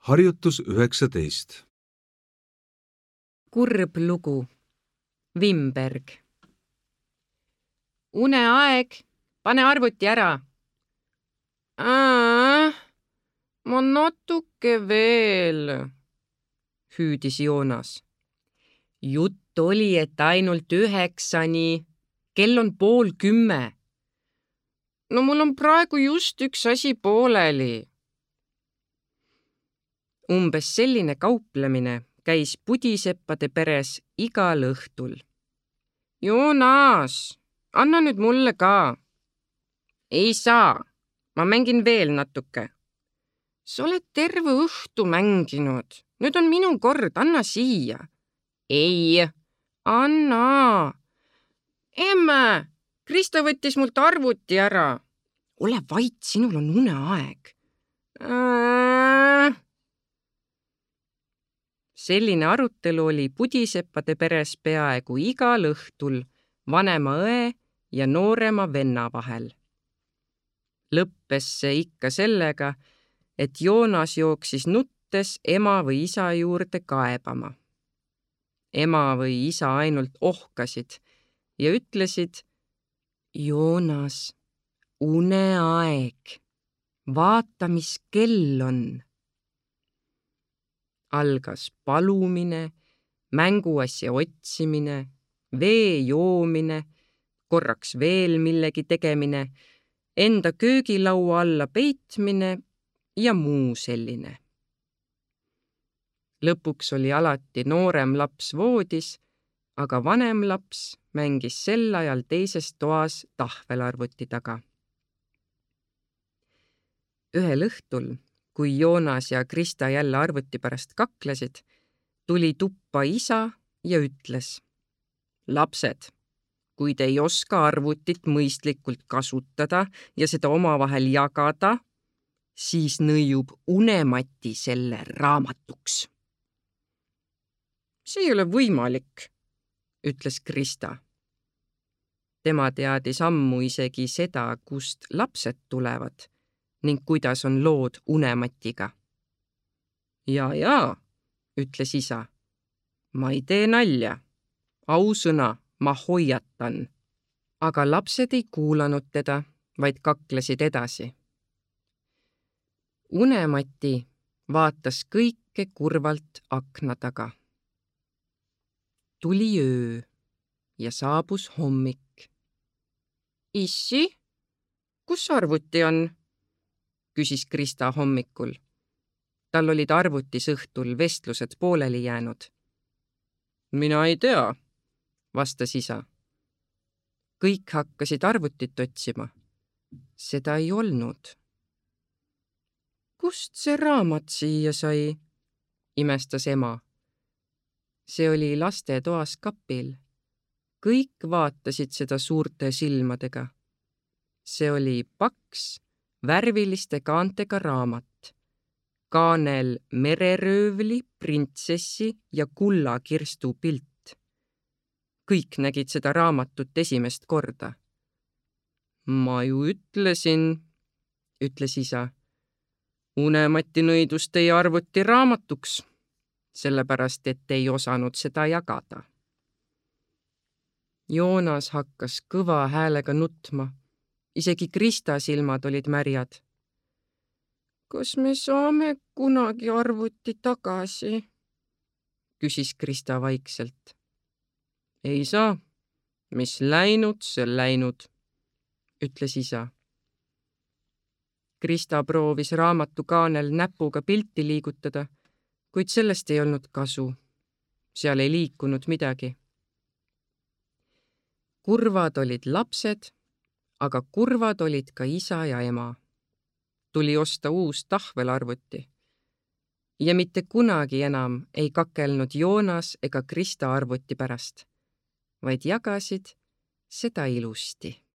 Harjutus 19. Kurb lugu. Vimberg. Uneaeg, pane arvuti ära. Ma natuke veel, hüüdis Joonas. Jutt oli, et ainult 9, kell on 9:30. No mul on praegu just üks asi pooleli. Umbes selline kauplemine käis pudiseppade peres igal õhtul. Joonas, anna nüüd mulle ka. Ei saa, ma mängin veel natuke. Sa oled terve õhtu mänginud. Nüüd on minu kord, anna siia. Ei, anna. Emme, Krista võttis mult arvuti ära. Ole vait, sinul on uneaeg. Selline arutelu oli pudiseppade peres peaaegu igal õhtul vanema õe ja noorema venna vahel. Lõppes see ikka sellega, et Joonas jooksis nuttes ema või isa juurde kaebama. Ema või isa ainult ohkasid ja ütlesid: Joonas, uneaeg, vaata, mis kell on. Algas palumine, mänguasja otsimine, vee joomine, korraks veel millegi tegemine, enda köögilaua alla peitmine ja muu selline. Lõpuks oli alati noorem laps voodis, aga vanem laps mängis sel ajal teises toas tahvelarvuti taga. Ühel õhtul, kui Joonas ja Krista jälle arvuti pärast kaklesid, tuli tuppa isa ja ütles: Lapsed, kui te ei oska arvutit mõistlikult kasutada ja seda omavahel jagada, siis nõiub unemati selle raamatuks. See ei ole võimalik, ütles Krista. Tema teadis ammu isegi seda, kust lapsed tulevad ning kuidas on lood unematiga. Jaa, ütles isa. Ma ei tee nalja. Ausõna, ma hoiatan. Aga lapsed ei kuulanud teda, vaid kaklesid edasi. Unemati vaatas kõike kurvalt akna taga. Tuli öö ja saabus hommik. Issi, kus arvuti on? Küsis Krista hommikul. Tal olid arvutis õhtul vestlused pooleli jäänud. Mina ei tea, vastas isa. Kõik hakkasid arvutit otsima. Seda ei olnud. Kust see raamat siia sai? Imestas ema. See oli lastetoas kapil. Kõik vaatasid seda suurte silmadega. See oli paks, värviliste kaantega raamat. Kaanel mereröövli, printsessi ja kullakirstu pilt. Kõik nägid seda raamatut esimest korda. Ma ju ütlesin, ütles isa. Unemati nõidus teie arvuti raamatuks, sellepärast et ei osanud seda jagada. Joonas hakkas kõva häälega nutma. Isegi Krista silmad olid märjad. Kas me saame kunagi arvuti tagasi? Küsis Krista vaikselt. Ei saa. Mis läinud, see läinud, ütles isa. Krista proovis raamatu kaanel näpuga pilti liigutada, kuid sellest ei olnud kasu. Seal ei liikunud midagi. Kurvad olid lapsed, aga kurvad olid ka isa ja ema. Tuli osta uus tahvelarvuti. Ja mitte kunagi enam ei kakelnud Joonas ega Krista arvuti pärast, vaid jagasid seda ilusti.